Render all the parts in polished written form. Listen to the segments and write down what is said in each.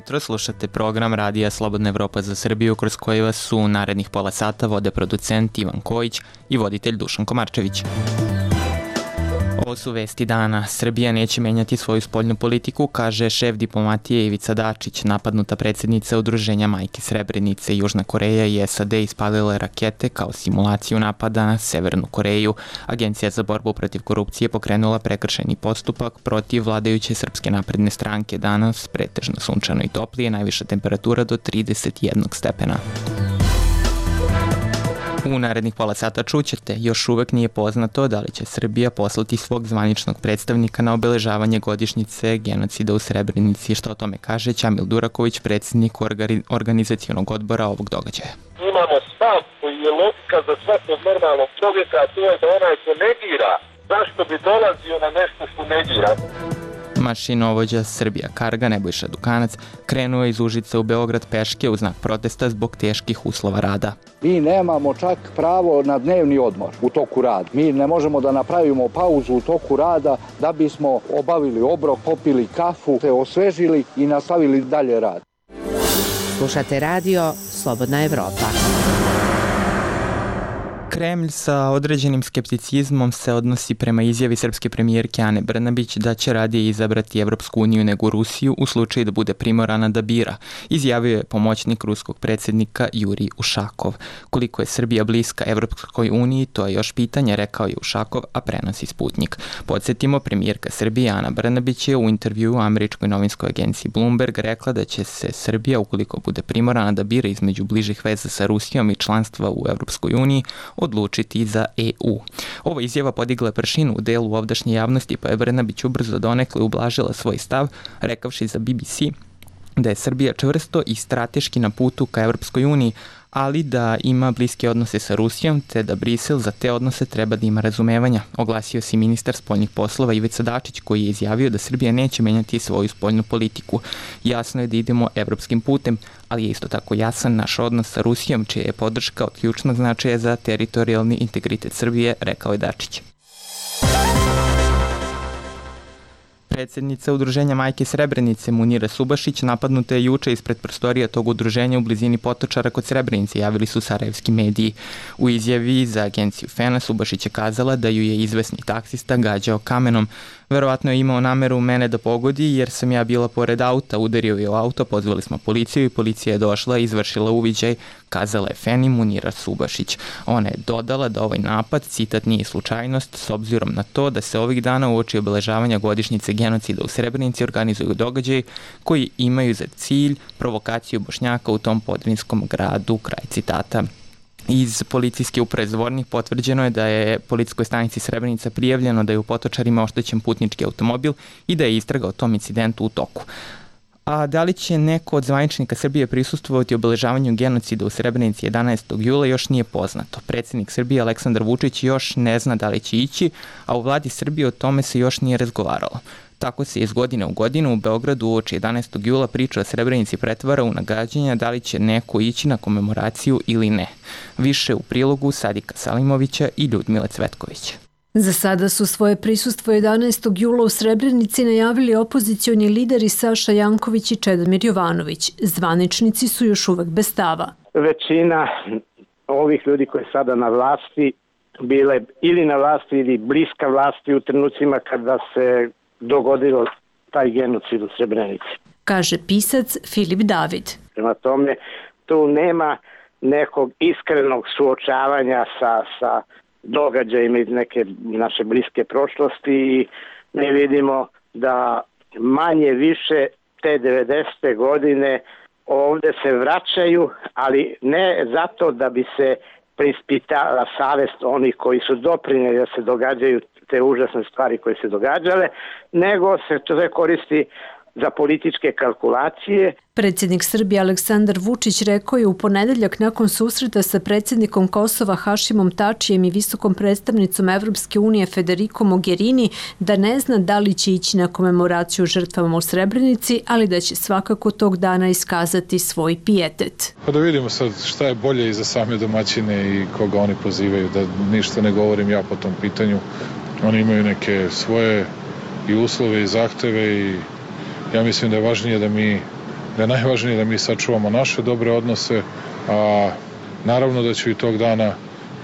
jutro, slušate program Radija Slobodna Evropa za Srbiju, kroz koji vas su narednih pola sata vode producent Ivan Kojić i voditelj Dušan Komarčević. Ovo su vesti dana. Srbija neće menjati svoju spoljnu politiku, kaže šef diplomatije Ivica Dačić. Napadnuta predsjednica Udruženja Majke Srebrenice, Južna Koreja i SAD ispalile rakete kao simulaciju napada na Severnu Koreju. Agencija za borbu protiv korupcije pokrenula prekršajni postupak protiv vladajuće Srpske napredne stranke. Danas pretežno sunčano i toplije, najviša temperatura do 31 stepena. U narednih pola sata čućete, još uvek nije poznato da li će Srbija poslati svog zvaničnog predstavnika na obeležavanje godišnjice genocida u Srebrenici. Što o tome kaže Ćamil Duraković, predsjednik organizacionog odbora ovog događaja. Imamo stav koji je logika za svakog normalnog čovjeka, a to je da onaj ko negira, zašto bi dolazio na nešto što negira? Mašinovođa Srbija Karga Nebojša Dukanac krenuo iz Užica u Beograd peške u znak protesta zbog teških uslova rada. Mi nemamo čak pravo na dnevni odmor u toku rada. Mi ne možemo da napravimo pauzu u toku rada da bismo obavili obrok, popili kafu, se osvežili i nastavili dalje rad. Slušate radio Slobodna Evropa. Kremlj sa određenim skepticizmom se odnosi prema izjavi srpske premijerke Ane Brnabić da će radije izabrati Evropsku uniju nego Rusiju u slučaju da bude primorana da bira, izjavio je pomoćnik ruskog predsjednika Jurij Ušakov. Koliko je Srbija bliska Evropskoj uniji, to je još pitanje, rekao je Ušakov, a prenosi Sputnik. Podsjetimo, premijerka Srbije Ana Brnabić je u intervjuu u američkoj novinskoj agenciji Bloomberg rekla da će se Srbija, ukoliko bude primorana da bira između bližih veza sa Rusijom i članstva u Evropskoj uniji, odlučiti za EU. Ova izjava podigla pršinu u delu ovdašnje javnosti, pa je Brnabić ubrzo donekle ublažila svoj stav, rekavši za BBC da je Srbija čvrsto i strateški na putu ka Evropskoj uniji, ali da ima bliske odnose sa Rusijom, te da Brisel za te odnose treba da ima razumevanja. Oglasio se ministar spoljnih poslova Ivica Dačić, koji je izjavio da Srbija neće menjati svoju spoljnu politiku. Jasno je da idemo evropskim putem, ali je isto tako jasan naš odnos sa Rusijom, čija je podrška od ključnog značaja za teritorijalni integritet Srbije, rekao je Dačić. Predsjednica Udruženja Majke Srebrenice Munira Subašić napadnuta je juče ispred prostorija tog udruženja u blizini Potočara kod Srebrenice, javili su sarajevski mediji. U izjavi za agenciju FENA Subašić je kazala da ju je izvesni taksista gađao kamenom. Verovatno je imao nameru mene da pogodi jer sam ja bila pored auta, udario je u auto, pozvali smo policiju i policija je došla i izvršila uviđaj, kazala je Feni Munira Subašić. Ona je dodala da ovaj napad, citat, nije slučajnost, s obzirom na to da se ovih dana uoči obeležavanja godišnjice genocida u Srebrenici organizuju događaji koji imaju za cilj provokaciju Bošnjaka u tom podvinskom gradu, kraj citata. Iz policijske uprave Zvornik potvrđeno je da je policijskoj stanici Srebrenica prijavljeno da je u Potočarima oštećen putnički automobil i da je istraga o tom incidentu u toku. A da li će neko od zvaničnika Srbije prisustvovati obeležavanju genocida u Srebrenici 11. jula još nije poznato. Predsjednik Srbije Aleksandar Vučić još ne zna da li će ići, a u vladi Srbije o tome se još nije razgovaralo. Tako se iz godine u godinu u Beogradu uoči 11. jula priča o Srebrenici pretvara u nagađanja da li će neko ići na komemoraciju ili ne. Više u prilogu Sadika Salimovića i Ljudmile Cvetkovića. Za sada su svoje prisustvo 11. jula u Srebrenici najavili opozicioni lideri Saša Janković i Čedomir Jovanović. Zvaničnici su još uvek bez stava. Većina ovih ljudi koji je sada na vlasti bile ili na vlasti ili bliska vlasti u trenucima kada se dogodilo taj genocid u Srebrenici. Kaže pisac Filip David. Prema tome, tu nema nekog iskrenog suočavanja sa događajima iz neke naše bliske prošlosti i mi vidimo da manje više te 90. godine ovde se vraćaju, ali ne zato da bi se preispitala savest onih koji su doprinijeli da se događaju te užasne stvari koje se događale, nego se to koristi za političke kalkulacije. Predsjednik Srbije Aleksandar Vučić rekao je u ponedeljak nakon susreta sa predsjednikom Kosova Hašimom Tačijem i visokom predstavnicom Evropske unije Federico Mogherini da ne zna da li će ići na komemoraciju žrtvama u Srebrenici, ali da će svakako tog dana iskazati svoj pijetet. Pa da vidimo sad šta je bolje i za same domaćine i koga oni pozivaju, da ništa ne govorim ja po tom pitanju. Oni imaju neke svoje i uslove i zahteve i ja mislim da je važnije da mi da je najvažnije da mi sačuvamo naše dobre odnose, a naravno da ću i tog dana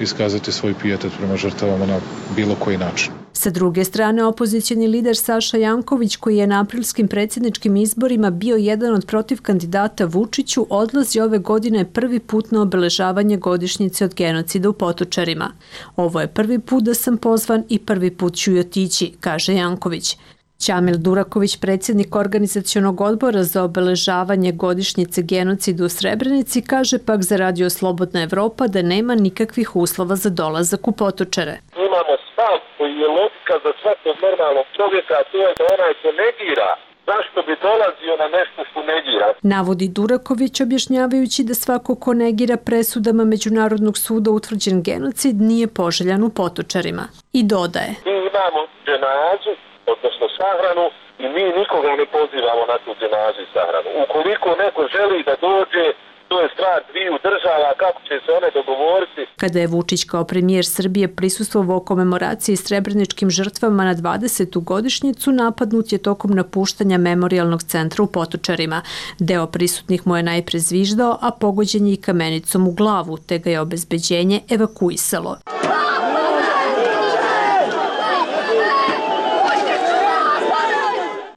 iskazati svoj pijetet prema žrtvama na bilo koji način. Sa druge strane, opozicijni lider Saša Janković, koji je na aprilskim predsjedničkim izborima bio jedan od protiv kandidata Vučiću, odlazi ove godine prvi put na obeležavanje godišnjice od genocida u Potočarima. Ovo je prvi put da sam pozvan i prvi put ću i otići, kaže Janković. Ćamil Duraković, predsjednik organizacionog odbora za obeležavanje godišnjice genocida u Srebrenici, kaže pak za Radio Slobodna Evropa da nema nikakvih uslova za dolazak u Potočare. Imamo stav koji je logika za svakog normalnog čovjeka, a to je da onaj ko negira, zašto bi dolazio na nešto što negira? Navodi Duraković, objašnjavajući da svako ko negira presudama Međunarodnog suda utvrđen genocid nije poželjan u Potočarima. I dodaje. Mi imamo dženazu, odnosno sahranu, i mi nikoga ne pozivamo na tu dženazu i sahranu. Ukoliko neko želi da dođe, to je stvar dviju država, kako će se one dogovoriti. Kada je Vučić kao premijer Srbije prisustvovao komemoraciji srebreničkim žrtvama na 20. godišnjicu, napadnut je tokom napuštanja memorijalnog centra u Potočarima. Deo prisutnih mu je najpre zviždao, a pogođen je i kamenicom u glavu, te ga je obezbeđenje evakuisalo.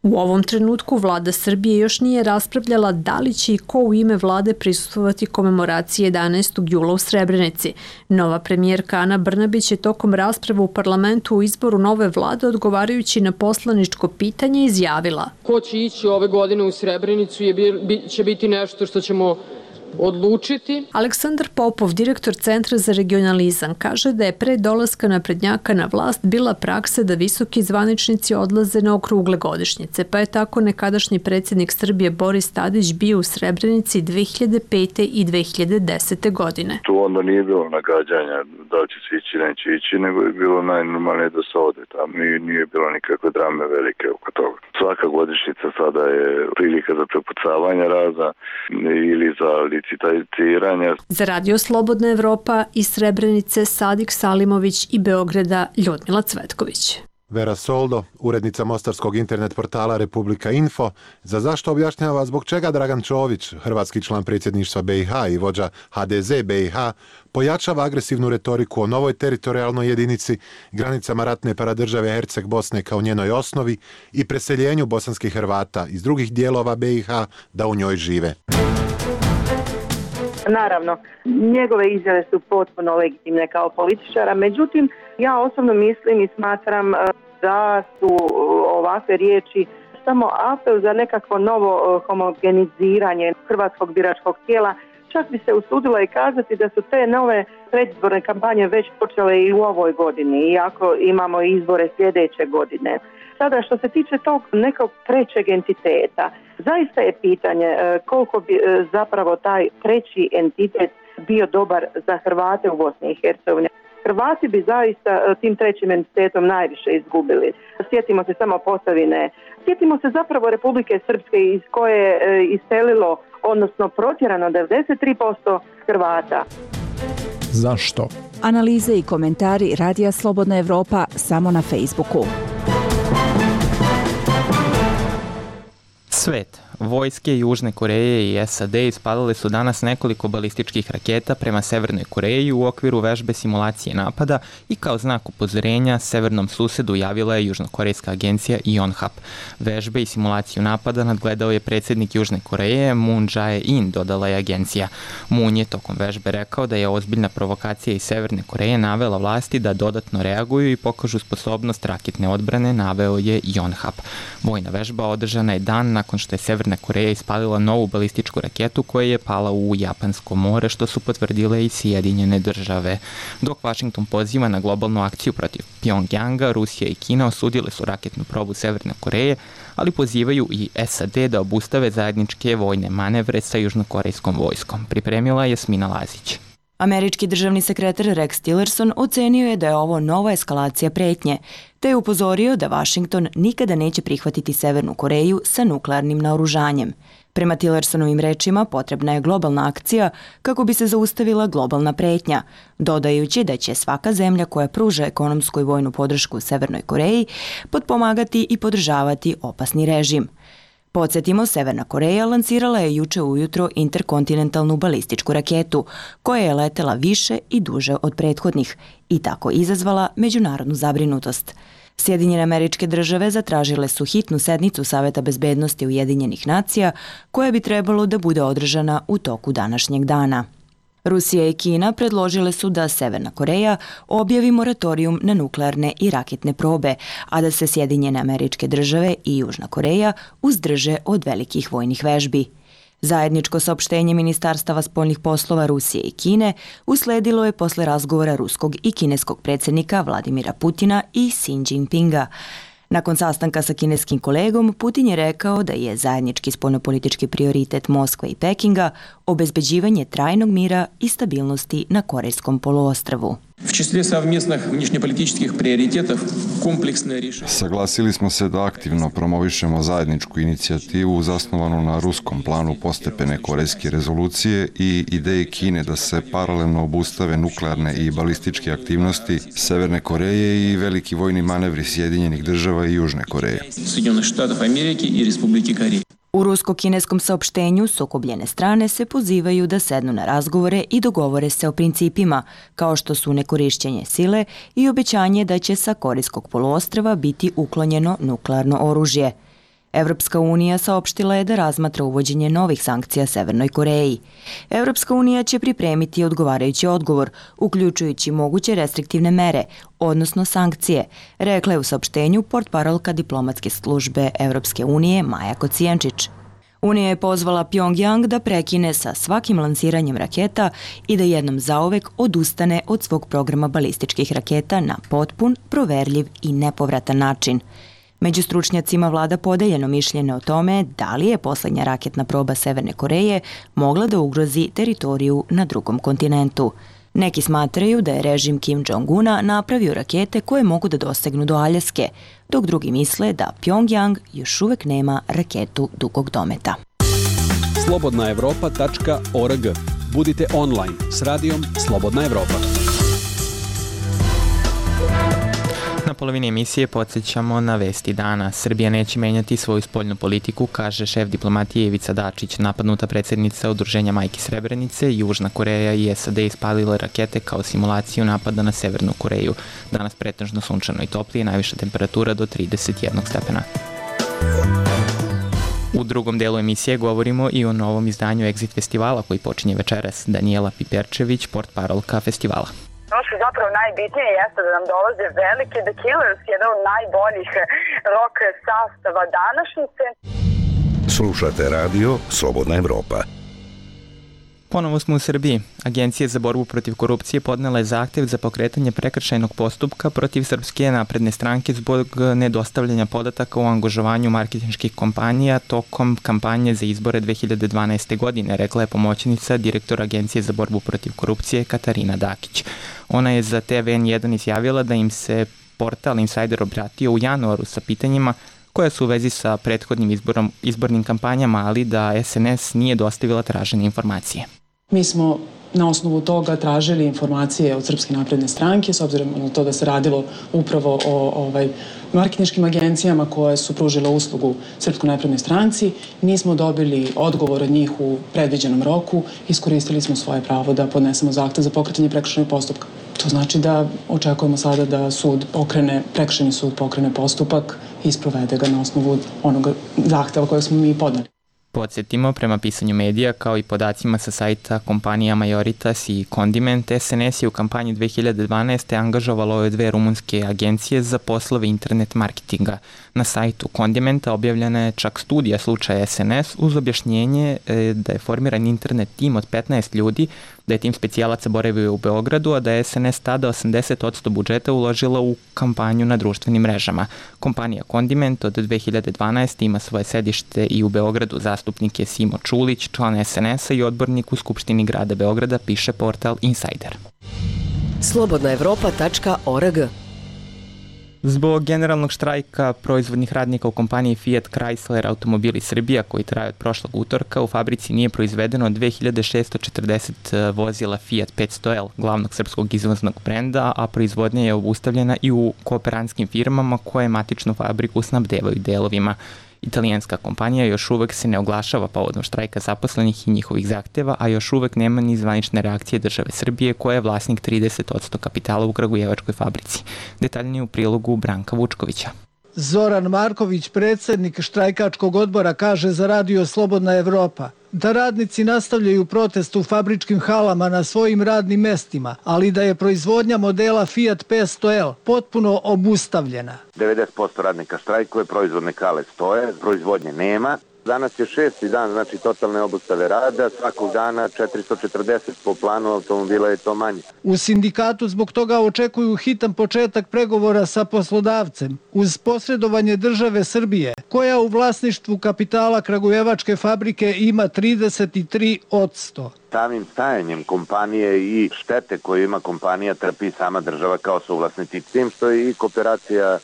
U ovom trenutku vlada Srbije još nije raspravljala da li će i ko u ime vlade prisustvovati komemoraciji 11. jula u Srebrenici. Nova premijerka Ana Brnabić je tokom rasprave u parlamentu u izboru nove vlade, odgovarajući na poslaničko pitanje, izjavila: Ko će ići ove godine u Srebrenicu će biti nešto što ćemo odlučiti. Aleksandar Popov, direktor Centra za regionalizam, kaže da je pre dolaska naprednjaka na vlast bila praksa da visoki zvaničnici odlaze na okrugle godišnjice, pa je tako nekadašnji predsjednik Srbije Boris Tadić bio u Srebrenici 2005. i 2010. godine. Tu onda nije bilo nagađanja da li će se ići, neće ići, nego je bilo najnormalnije da se ode tamo. Nije bilo nikakve drame velike oko toga. Svaka godišnjica sada je prilika za prepucavanje raza ili za licitiranja. Za Radio Slobodna Evropa iz Srebrenice Sadik Salimović i Beograda Ljudmila Cvetković. Vera Soldo, urednica mostarskog internet portala Republika Info, za zašto objašnjava zbog čega Dragan Čović, hrvatski član predsjedništva BiH i vođa HDZ BiH, pojačava agresivnu retoriku o novoj teritorijalnoj jedinici, granicama ratne paradržave Herceg Bosne kao njenoj osnovi i preseljenju bosanskih Hrvata iz drugih dijelova BiH da u njoj žive. Naravno, njegove izjave su potpuno legitimne kao političara, međutim, ja osobno mislim i smatram da su ovakve riječi samo apel za nekakvo novo homogeniziranje hrvatskog biračkog tijela. Čak bi se usudila i kazati da su te nove predizborne kampanje već počele i u ovoj godini, iako imamo izbore sljedeće godine. Sada, što se tiče tog nekog trećeg entiteta, zaista je pitanje koliko bi zapravo taj treći entitet bio dobar za Hrvate u Bosni i Hercegovini. Hrvati bi zaista tim trećim entitetom najviše izgubili. Sjetimo se samo Posavine, sjetimo se zapravo Republike Srpske iz koje je iselilo, odnosno protjerano 93% Hrvata. Zašto? Analize i komentari Radija Slobodna Evropa samo na Facebooku. Svet. Vojske Južne Koreje i SAD ispalile su danas nekoliko balističkih raketa prema Severnoj Koreji u okviru vežbe simulacije napada i kao znak upozorenja severnom susedu javila je južnokorejska agencija Yonhap. Vežbe i simulaciju napada nadgledao je predsjednik Južne Koreje Moon Jae-in, dodala je agencija. Moon je tokom vežbe rekao da je ozbiljna provokacija iz Severne Koreje navela vlasti da dodatno reaguju i pokažu sposobnost raketne odbrane, naveo je Yonhap. Vojna vežba održana je dan nakon što je Severna Koreja ispalila novu balističku raketu koja je pala u Japansko more, što su potvrdile i Sjedinjene države. Dok Washington poziva na globalnu akciju protiv Pjongjanga, Rusija i Kina osudile su raketnu probu Severne Koreje, ali pozivaju i SAD da obustave zajedničke vojne manevre sa južnokorejskom vojskom. Pripremila je Jasmina Lazić. Američki državni sekretar Rex Tillerson ocenio je da je ovo nova eskalacija pretnje, te je upozorio da Washington nikada neće prihvatiti Severnu Koreju sa nuklearnim naoružanjem. Prema Tillersonovim rečima potrebna je globalna akcija kako bi se zaustavila globalna pretnja, dodajući da će svaka zemlja koja pruža ekonomsku i vojnu podršku Severnoj Koreji potpomagati i podržavati opasni režim. Podsjetimo, Severna Koreja lansirala je juče ujutro interkontinentalnu balističku raketu, koja je letela više i duže od prethodnih i tako izazvala međunarodnu zabrinutost. Sjedinjene Američke Države zatražile su hitnu sednicu Saveta bezbednosti Ujedinjenih nacija, koja bi trebalo da bude održana u toku današnjeg dana. Rusija i Kina predložile su da Severna Koreja objavi moratorijum na nuklearne i raketne probe, a da se Sjedinjene Američke Države i Južna Koreja uzdrže od velikih vojnih vežbi. Zajedničko saopštenje Ministarstava spoljnih poslova Rusije i Kine usledilo je posle razgovora ruskog i kineskog predsjednika Vladimira Putina i Xi Jinpinga. Nakon sastanka sa kineskim kolegom, Putin je rekao da je zajednički spoljnopolitički prioritet Moskve i Pekinga obezbeđivanje trajnog mira i stabilnosti na Korejskom poluostrvu. Saglasili smo se da aktivno promovišemo zajedničku inicijativu zasnovanu na ruskom planu postepene korejske rezolucije i ideje Kine da se paralelno obustave nuklearne i balističke aktivnosti Severne Koreje i veliki vojni manevri Sjedinjenih Država i Južne Koreje. U rusko-kineskom saopštenju sukobljene strane se pozivaju da sednu na razgovore i dogovore se o principima, kao što su nekorišćenje sile i obećanje da će sa Korejskog poluostrva biti uklonjeno nuklearno oružje. Evropska unija saopštila je da razmatra uvođenje novih sankcija Severnoj Koreji. Evropska unija će pripremiti odgovarajući odgovor, uključujući moguće restriktivne mere, odnosno sankcije, rekla je u saopštenju portparolka diplomatske službe Evropske unije Maja Kocijančić. Unija je pozvala Pjongjang da prekine sa svakim lansiranjem raketa i da jednom zauvek odustane od svog programa balističkih raketa na potpun, proverljiv i nepovratan način. Među stručnjacima vlada podeljeno mišljenje o tome da li je poslednja raketna proba Severne Koreje mogla da ugrozi teritoriju na drugom kontinentu. Neki smatraju da je režim Kim Jong-una napravio rakete koje mogu da dosegnu do Aljaske, dok drugi misle da Pjongjang još uvek nema raketu dugog dometa. Slobodnaevropa.org. Budite online s radijom Slobodna Evropa. Na polovini emisije podsjećamo na vesti dana. Srbija neće menjati svoju spoljnu politiku, kaže šef diplomatije Ivica Dačić. Napadnuta predsjednica Udruženja Majki Srebrenice, Južna Koreja i SAD ispalile rakete kao simulaciju napada na Severnu Koreju. Danas pretežno sunčano i toplije, najviša temperatura do 31 stepena. U drugom delu emisije govorimo i o novom izdanju Exit festivala koji počinje večeras. Daniela Piperčević, portparolka festivala. Ono što je zapravo najbitnije jeste da nam dolaze veliki The Killers, jedan od najboljih rock sastava današnjice. Slušate radio Slobodna Evropa. Ponovo smo u Srbiji. Agencija za borbu protiv korupcije podnela je zahtev za pokretanje prekršajnog postupka protiv Srpske napredne stranke zbog nedostavljanja podataka o angažovanju marketinških kompanija tokom kampanje za izbore 2012. godine, rekla je pomoćnica direktora Agencije za borbu protiv korupcije Katarina Dakić. Ona je za TV N1 izjavila da im se portal Insider obratio u januaru sa pitanjima koja su u vezi sa prethodnim izbornim kampanjama, ali da SNS nije dostavila tražene informacije. Mi smo na osnovu toga tražili informacije od Srpske napredne stranke, s obzirom na to da se radilo upravo o marketinškim agencijama koje su pružile uslugu Srpskoj naprednoj stranci. Nismo dobili odgovor od njih u predviđenom roku, iskoristili smo svoje pravo da podnesemo zahtev za pokretanje prekršajnog postupka. To znači da očekujemo sada da prekršajni sud pokrene postupak i sprovede ga na osnovu onoga zahteva kojeg smo mi podneli. Podsjetimo, prema pisanju medija kao i podacima sa sajta kompanija Majoritas i Condiment, SNS je u kampanji 2012. angažovalo je 2 rumunske agencije za poslove internet marketinga. Na sajtu Condimenta objavljena je čak studija slučaja SNS uz objašnjenje da je formiran internet tim od 15 ljudi, da je tim specijalaca boravio u Beogradu, a da je SNS tada 80% budžeta uložila u kampanju na društvenim mrežama. Kompanija Condiment od 2012. ima svoje sedište i u Beogradu. Zastupnik je Simo Čulić, član SNS-a i odbornik u Skupštini grada Beograda, piše portal Insider. Slobodnaevropa.org. Zbog generalnog štrajka proizvodnih radnika u kompaniji Fiat Chrysler Automobili Srbija, koji traje od prošlog utorka, u fabrici nije proizvedeno 2640 vozila Fiat 500L, glavnog srpskog izvoznog brenda, a proizvodnja je obustavljena i u kooperantskim firmama koje matičnu fabriku snabdevaju delovima. Italijanska kompanija još uvek se ne oglašava povodom štrajka zaposlenih i njihovih zahteva, a još uvek nema ni zvanične reakcije države Srbije koja je vlasnik 30% kapitala u kragujevačkoj fabrici. Detaljnije u prilogu Branka Vučkovića. Zoran Marković, predsjednik štrajkačkog odbora, kaže za Radio Slobodna Evropa da radnici nastavljaju protest u fabričkim halama na svojim radnim mestima, ali da je proizvodnja modela Fiat 500L potpuno obustavljena. 90% radnika štrajkuje, proizvodne hale stoje, proizvodnje nema. Danas je 6. dan, znači totalne obustave rada, svakog dana 440 po planu automobila je to manje. U sindikatu zbog toga očekuju hitan početak pregovora sa poslodavcem uz posredovanje države Srbije, koja u vlasništvu kapitala kragujevačke fabrike ima 33%. Samim stajanjem kompanije i štete koje ima kompanija trpi sama država kao suvlasnici, tim što je i kooperacija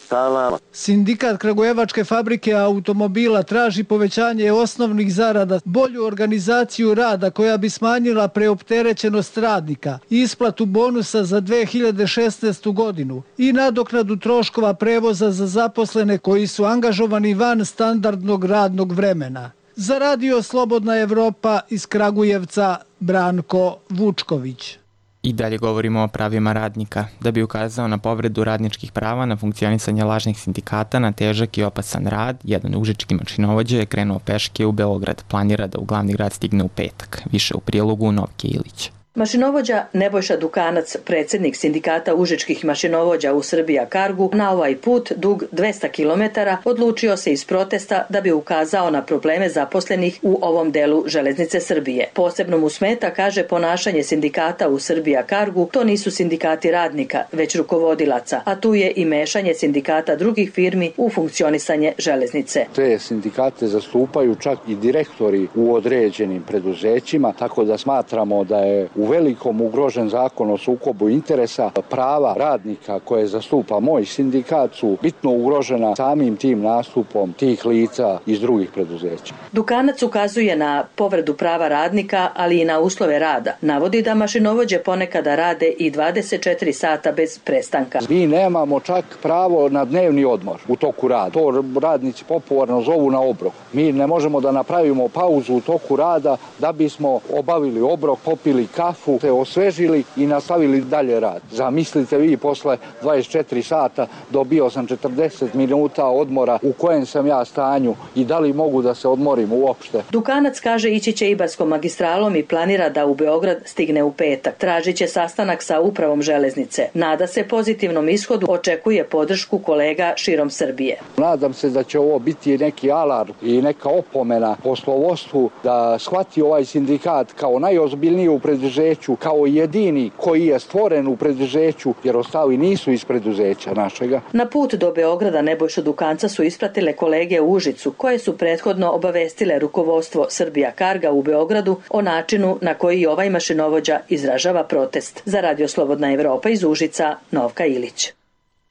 stala. Sindikat kragujevačke fabrike automobila traži povećanje osnovnih zarada, bolju organizaciju rada koja bi smanjila preopterećenost radnika, isplatu bonusa za 2016. godinu i nadoknadu troškova prevoza za zaposlene koji su angažovani van standardnog radnog vremena. Za Radio Slobodna Evropa iz Kragujevca, Branko Vučković. I dalje govorimo o pravima radnika. Da bi ukazao na povredu radničkih prava na funkcionisanje lažnih sindikata na težak i opasan rad, jedan užički mašinovođa je krenuo peške u Beograd. Planira da u glavni grad stigne u petak. Više u prilogu Novke Ilić. Mašinovođa Nebojša Dukanac, predsjednik sindikata užičkih mašinovođa u Srbija Kargu, na ovaj put dug 200 km odlučio se iz protesta da bi ukazao na probleme zaposlenih u ovom delu železnice Srbije. Posebno mu smeta, kaže, ponašanje sindikata u Srbija Kargu. To nisu sindikati radnika, već rukovodilaca, a tu je i mešanje sindikata drugih firmi u funkcionisanje železnice. Te sindikate zastupaju čak i direktori u određenim preduzećima, tako da smatramo da je u velikom ugrožen zakon o sukobu interesa. Prava radnika koje zastupa moj sindikat su bitno ugrožena samim tim nastupom tih lica iz drugih preduzeća. Dukanac ukazuje na povredu prava radnika, ali i na uslove rada. Navodi da mašinovođe ponekada rade i 24 sata bez prestanka. Mi nemamo čak pravo na dnevni odmor u toku rada. To radnici popularno zovu na obrok. Mi ne možemo da napravimo pauzu u toku rada da bismo obavili obrok, popili kafu, se osvežili i nastavili dalje rad. Zamislite vi, posle 24 sata dobio sam 40 minuta odmora, u kojem sam ja stanju i da li mogu da se odmorim uopšte. Dukanac kaže ići će Ibarskom magistralom i planira da u Beograd stigne u petak. Tražit će sastanak sa upravom železnice. Nada se pozitivnom ishodu, očekuje podršku kolega širom Srbije. Nadam se da će ovo biti neki alarm i neka opomena poslovodstvu da shvati ovaj sindikat kao najozbiljniju preduzeću, kao jedini koji je stvoren u preduzeću, jer ostali nisu iz preduzeća našega. Na put do Beograda Nebojšu Dukanca su ispratile kolege u Užicu, koje su prethodno obavestile rukovodstvo Srbija Karga u Beogradu o načinu na koji ovaj mašinovođa izražava protest. Za Radio Slobodna Evropa iz Užica, Novka Ilić.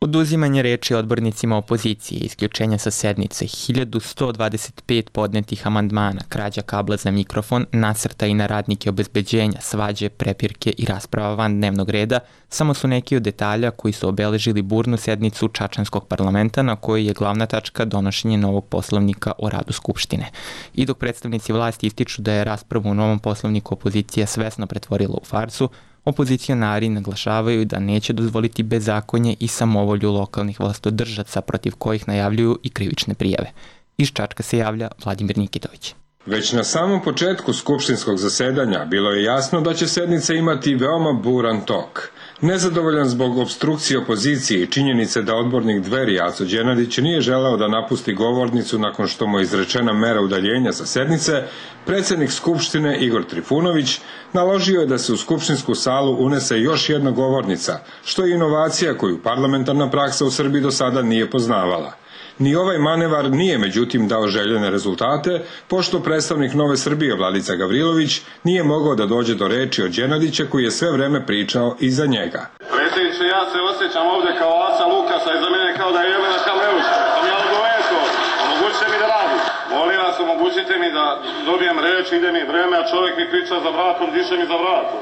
Oduzimanje reči odbornicima opozicije, isključenja sa sednice, 1125 podnetih amandmana, krađa kabla za mikrofon, nasrtaji na radnike obezbeđenja, svađe, prepirke i rasprava van dnevnog reda samo su neki od detalja koji su obeležili burnu sednicu Čačanskog parlamenta na kojoj je glavna tačka donošenje novog poslovnika o radu Skupštine. I dok predstavnici vlasti ističu da je raspravu u novom poslovniku opozicija svesno pretvorila u farsu, opozicionari naglašavaju da neće dozvoliti bezakonje i samovolju lokalnih vlastodržaca protiv kojih najavljuju i krivične prijave. Iz Čačka se javlja Vladimir Nikitović. Već na samom početku skupštinskog zasedanja bilo je jasno da će sednica imati veoma buran tok. Nezadovoljan zbog opstrukcije opozicije i činjenice da odbornik Dveri Aco Đenadić nije želeo da napusti govornicu nakon što mu je izrečena mera udaljenja sa sednice, predsjednik Skupštine Igor Trifunović naložio je da se u skupštinsku salu unese još jedna govornica, što je inovacija koju parlamentarna praksa u Srbiji do sada nije poznavala. Ni ovaj manevar nije međutim dao željene rezultate, pošto predstavnik Nove Srbije Vladica Gavrilović nije mogao da dođe do reči od Đenadića koji je sve vreme pričao iza njega. Predsjedniče, ja se osjećam ovdje kao Aca Lukasa, iza mene kao da je Jelena Kameuša. Sam ja odgoveto, omogućite mi da radim. Molim vas, omogućite mi da dobijem reč, ide mi vreme, a čovjek mi priča za vratom, diše mi za vratom.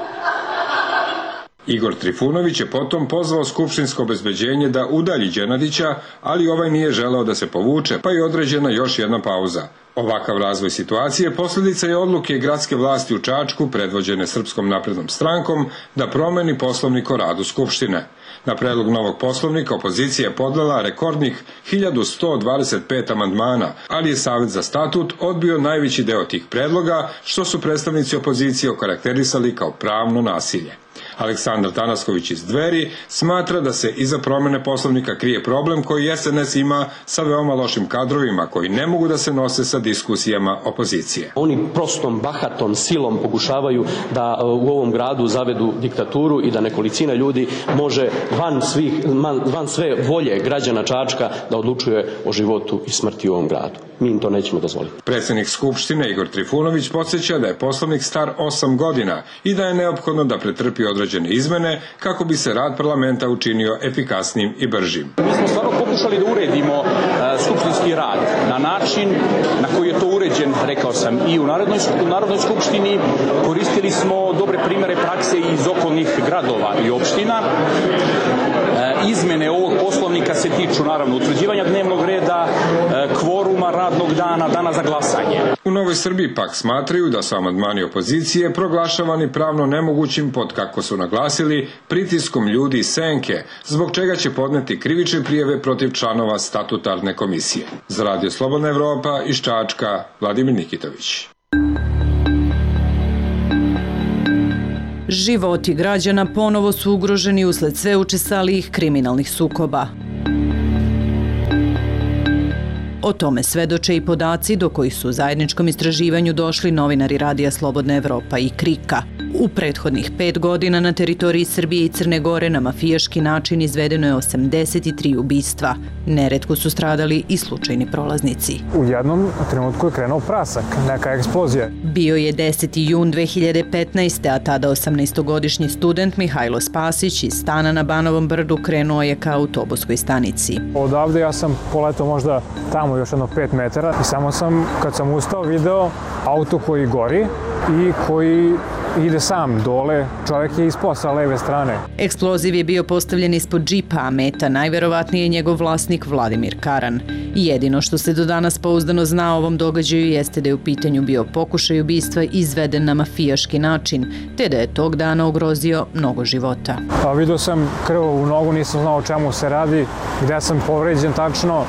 Igor Trifunović je potom pozvao skupštinsko obezbeđenje da udalji Đenadića, ali ovaj nije želeo da se povuče, pa je određena još jedna pauza. Ovakav razvoj situacije posljedica je odluke gradske vlasti u Čačku, predvođene Srpskom naprednom strankom, da promeni poslovnik o radu Skupštine. Na predlog novog poslovnika opozicija je podnela rekordnih 1125 amandmana, ali je Savet za statut odbio najveći deo tih predloga, što su predstavnici opozicije okarakterisali kao pravno nasilje. Aleksandar Tanasković iz Dveri smatra da se iza promene poslovnika krije problem koji SNS ima sa veoma lošim kadrovima koji ne mogu da se nose sa diskusijama opozicije. Oni prostom, bahatom silom pokušavaju da u ovom gradu zavedu diktaturu i da nekolicina ljudi može van sve volje građana Čačka da odlučuje o životu i smrti u ovom gradu. Mi im to nećemo dozvoliti. Predsjednik Skupštine Igor Trifunović podsjeća da je poslovnik star 8 godina i da je neophodno da pretrpi određene izmene kako bi se rad parlamenta učinio efikasnijim i bržim. Mi smo stvarno pokušali da uredimo skupštinski rad na način na koji je to uređen, rekao sam, i u Narodnoj skupštini. Koristili smo dobre primere prakse iz okolnih gradova i opština. Izmene ovog poslovnika se tiču naravno utvrđivanja dnevnog reda, kvoruma radnog dana, dana za glasanje. U Novoj Srbiji pak smatraju da su amandmani opozicije proglašavani pravno nemogućim pod, kako su naglasili, pritiskom ljudi iz senke, zbog čega će podneti krivične prijave protiv članova statutarne komisije. Za Radio Slobodna Evropa iz Čačka, Vladimir Nikitović. Životi građana ponovo su ugroženi usled sve učestalijih kriminalnih sukoba. O tome svedoče i podaci do kojih su u zajedničkom istraživanju došli novinari Radija Slobodna Evropa i KRIK-a. U prethodnih 5 godina na teritoriji Srbije i Crne Gore na mafijaški način izvedeno je 83 ubistva. Neretko su stradali i slučajni prolaznici. U jednom trenutku je krenuo prasak, neka eksplozija. Bio je 10. jun 2015. a tada 18-godišnji student Mihajlo Spasić iz stana na Banovom brdu krenuo je ka autobuskoj stanici. Odavde ja sam poletao možda tamo još jedno 5 metara i samo sam, kad sam ustao, video auto koji gori i koji ide sam dole, čovjek je ispao sa leve strane. Eksploziv je bio postavljen ispod džipa, a meta najverovatnije je njegov vlasnik Vladimir Karan. Jedino što se do danas pouzdano zna o ovom događaju jeste da je u pitanju bio pokušaj ubistva izveden na mafijaški način, te da je tog dana ugrozio mnogo života. Vidio sam krv u nogu, nisam znao o čemu se radi, gde sam povređen tačno.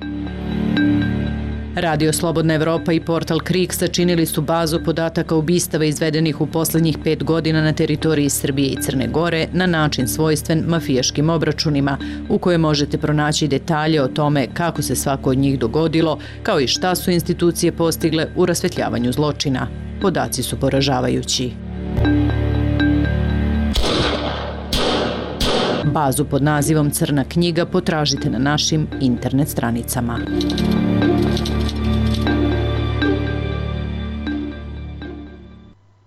Radio Slobodna Evropa i portal KRIK sačinili su bazu podataka ubistava izvedenih u poslednjih 5 godina na teritoriji Srbije i Crne Gore na način svojstven mafijaškim obračunima, u kojoj možete pronaći detalje o tome kako se svako od njih dogodilo, kao i šta su institucije postigle u rasvetljavanju zločina. Podaci su poražavajući. Bazu pod nazivom Crna knjiga potražite na našim internet stranicama.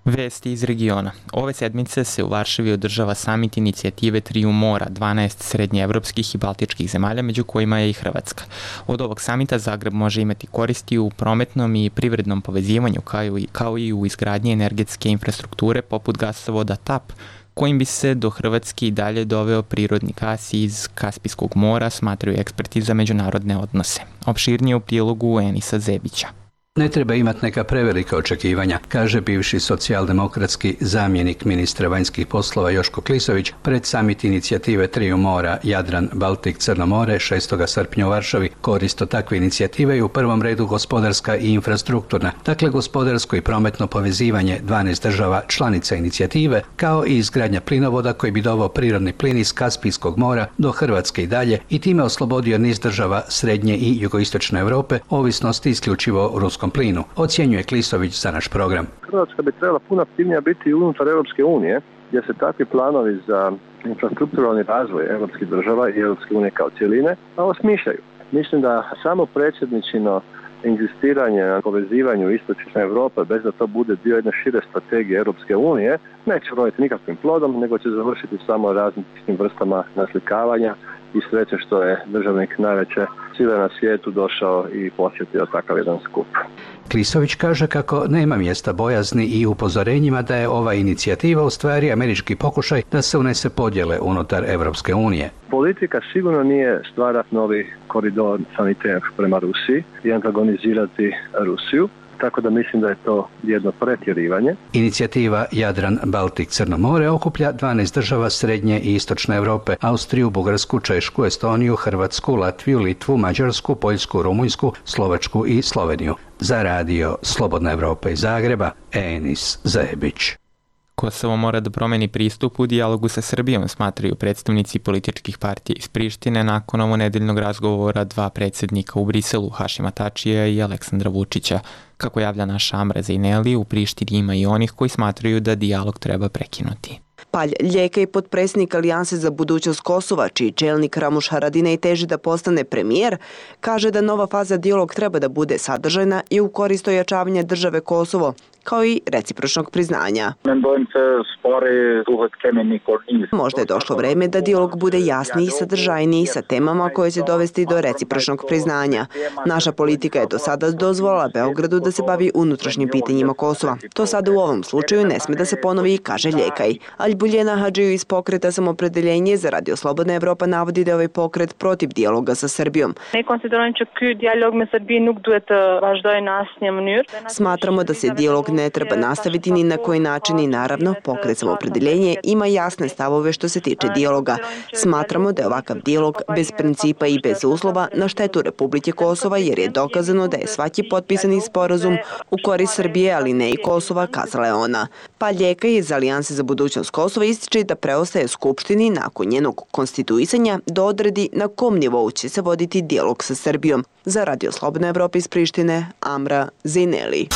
Vesti iz regiona. Ove sedmice se u Varšavi održava samit inicijative Triju mora, 12 srednjeevropskih i baltičkih zemalja, među kojima je i Hrvatska. Od ovog samita Zagreb može imati koristi u prometnom i privrednom povezivanju, kao i u izgradnji energetske infrastrukture poput gasovoda TAP, kojim bi se do Hrvatske i dalje doveo prirodni gas iz Kaspijskog mora, smatraju eksperti za međunarodne odnose. Opširnije u prilogu Enisa Zebića. Ne treba imati neka prevelika očekivanja, kaže bivši socijaldemokratski zamjenik ministra vanjskih poslova Joško Klisović pred samit inicijative Triju mora Jadran, Baltik, Crno more 6. srpnja u Varšavi. Korist od takve inicijative je u prvom redu gospodarska i infrastrukturna, dakle gospodarsko i prometno povezivanje 12 država članica inicijative, kao i izgradnja plinovoda koji bi doveo prirodni plin iz Kaspijskog mora do Hrvatske i dalje i time oslobodio niz država srednje i jugoistočne Europe ovisnosti isključivo o ruskom plinu, ocjenjuje Klisović za naš program. Hrvatska bi trebala puno aktivnija biti unutar Europske unije, gdje se takvi planovi za infrastrukturalni razvoj europskih država i Europske unije kao cijeline osmišljaju. Mislim da samo predsjedničino inzistiranje na povezivanju istočne Europe bez da to bude dio jedne šire strategije Europske unije neće roditi nikakvim plodom, nego će završiti samo različitim vrstama naslikavanja i sreće što je državnik najveće svile na svijetu došao i posjetio takav jedan skup. Klisović kaže kako nema mjesta bojazni i upozorenjima da je ova inicijativa u stvari američki pokušaj da se unese podjele unutar Evropske unije. Politika sigurno nije stvarati novi koridor sanitar prema Rusiji i antagonizirati Rusiju, tako da mislim da je to jedno pretjerivanje. Inicijativa Jadran-Baltik-Crno more okuplja 12 država Srednje i Istočne Europe, Austriju, Bugarsku, Češku, Estoniju, Hrvatsku, Latviju, Litvu, Mađarsku, Poljsku, Rumunjsku, Slovačku i Sloveniju. Za radio Slobodna Evropa iz Zagreba, Enis Zebić. Kosovo mora da promeni pristup u dijalogu sa Srbijom, smatraju predstavnici političkih partija iz Prištine nakon ovonedeljnog razgovora dva predsjednika u Briselu, Hašima Tačija i Aleksandra Vučića. Kako javlja naša Amra Zejneli, u Prištini ima i onih koji smatraju da dijalog treba prekinuti. Palj Ljeka i potpredsjednik Alijanse za budućnost Kosova, čiji čelnik Ramuš Haradinaj teži da postane premijer, kaže da nova faza dijalog treba da bude sadržajna i u korist ojačavanja države Kosovo, kao i recipročnog priznanja. Možda je došlo vreme da dijalog bude jasniji i sadržajniji sa temama koje će dovesti do recipročnog priznanja. Naša politika je do sada dozvolila Beogradu da se bavi unutrašnjim pitanjima Kosova. To sada u ovom slučaju ne sme da se ponovi, kaže Ljekaj. Albuljena Hadžiju iz pokreta Samopredeljenje za radio Slobodna Evropa navodi da je ovaj pokret protiv dijaloga sa Srbijom. Smatramo da se dijalog ne treba nastaviti ni na koji način i naravno pokret Samopredeljenje ima jasne stavove što se tiče dijaloga. Smatramo da je ovakav dijalog bez principa i bez uslova na štetu Republike Kosova jer je dokazano da je svaki potpisani sporazum u korist Srbije, ali ne i Kosova, kazala je ona. Pa Ljeka iz Alijanse za budućnost Kosova ističe da preostaje Skupštini nakon njenog konstituisanja da odredi na kom nivou će se voditi dijalog sa Srbijom. Za radio Slobodna Evropa iz Prištine, Amra Zejneli.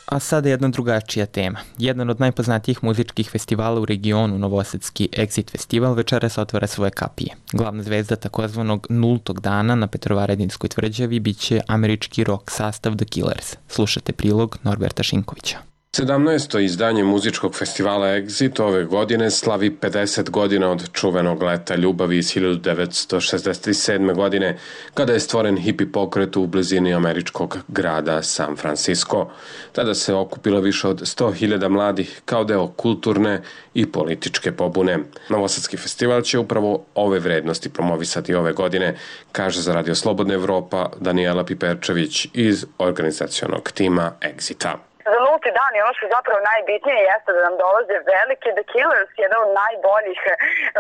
A sada jedna drugačija tema. Jedan od najpoznatijih muzičkih festivala u regionu, novosadski Exit festival, večeras otvara svoje kapije. Glavna zvezda takozvanog nultog dana na Petrovaradinskoj tvrđavi biće američki rock sastav The Killers. Slušate prilog Norberta Šinkovića. 17. izdanje muzičkog festivala Exit ove godine slavi 50 godina od čuvenog leta ljubavi iz 1967. godine, kada je stvoren hippie pokret u blizini američkog grada San Francisco. Tada se okupilo više od 100.000 mladih kao deo kulturne i političke pobune. Novosadski festival će upravo ove vrednosti promovisati ove godine, kaže za radio Slobodna Evropa Danijela Piperčević iz organizacionog tima Exita. Za nulti dan i ono što je zapravo najbitnije jeste da nam dolaze veliki The Killers, jedan od najboljih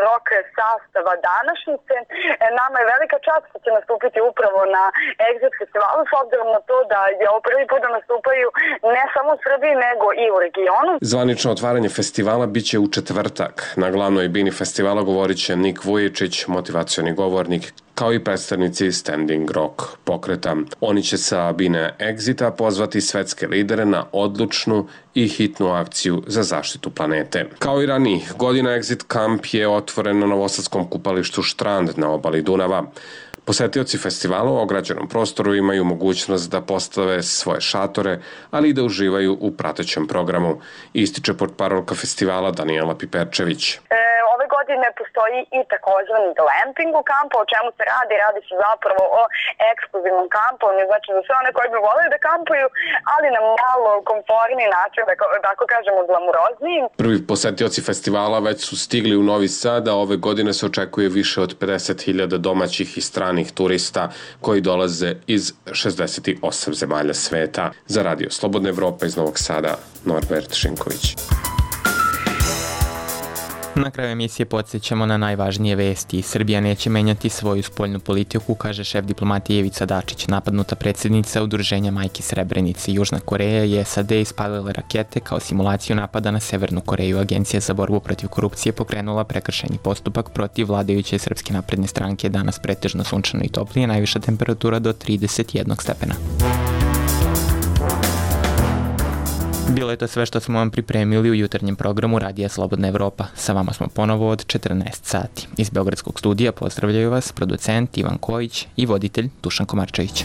rock sastava današnjice. Nama je velika čast što će nastupiti upravo na Exit festivalu, s obzirom na to da je ovo prvi put da nastupaju ne samo u Srbiji, nego i u regionu. Zvanično otvaranje festivala biće u četvrtak. Na glavnoj bini festivala govorit će Nik Vujičić, motivacioni govornik, kao i predstavnici Standing Rock pokreta. Oni će sa bine Exita pozvati svetske lidere na odlučnu i hitnu akciju za zaštitu planete. Kao i ranijih godina, Exit Camp je otvoren na novosadskom kupalištu Štrand na obali Dunava. Posetioci festivala u ograđenom prostoru imaju mogućnost da postave svoje šatore, ali i da uživaju u pratećem programu, ističe portparolka festivala Danijela Piperčević. Ove godine postoji i takozvani glamping u kampu, o čemu se radi? Radi se zapravo o ekskluzivnom kampovanju, znači za sve one koji bi voleli da kampuju, ali na malo komforniji način, da tako kažemo glamurozniji. Prvi posetioci festivala već su stigli u Novi Sad, a ove godine se očekuje više od 50.000 domaćih i stranih turista koji dolaze iz 68 zemalja sveta. Za radio Slobodna Evropa iz Novog Sada, Norbert Šinković. Na kraju emisije podsjećamo na najvažnije vesti. Srbija neće menjati svoju spoljnu politiku, kaže šef diplomatije Ivica Dačić. Napadnuta predsjednica Udruženja Majki Srebrenice. Južna Koreja i SAD ispalile rakete kao simulaciju napada na Severnu Koreju. Agencija za borbu protiv korupcije pokrenula prekršajni postupak protiv vladajuće Srpske napredne stranke. Danas pretežno sunčano i toplije, najviša temperatura do 31 stepena. Bilo je to sve što smo vam pripremili u jutarnjem programu Radija Slobodna Evropa. Sa vama smo ponovo od 14 sati. Iz Beogradskog studija pozdravljaju vas producent Ivan Kojić i voditelj Dušan Komarčević.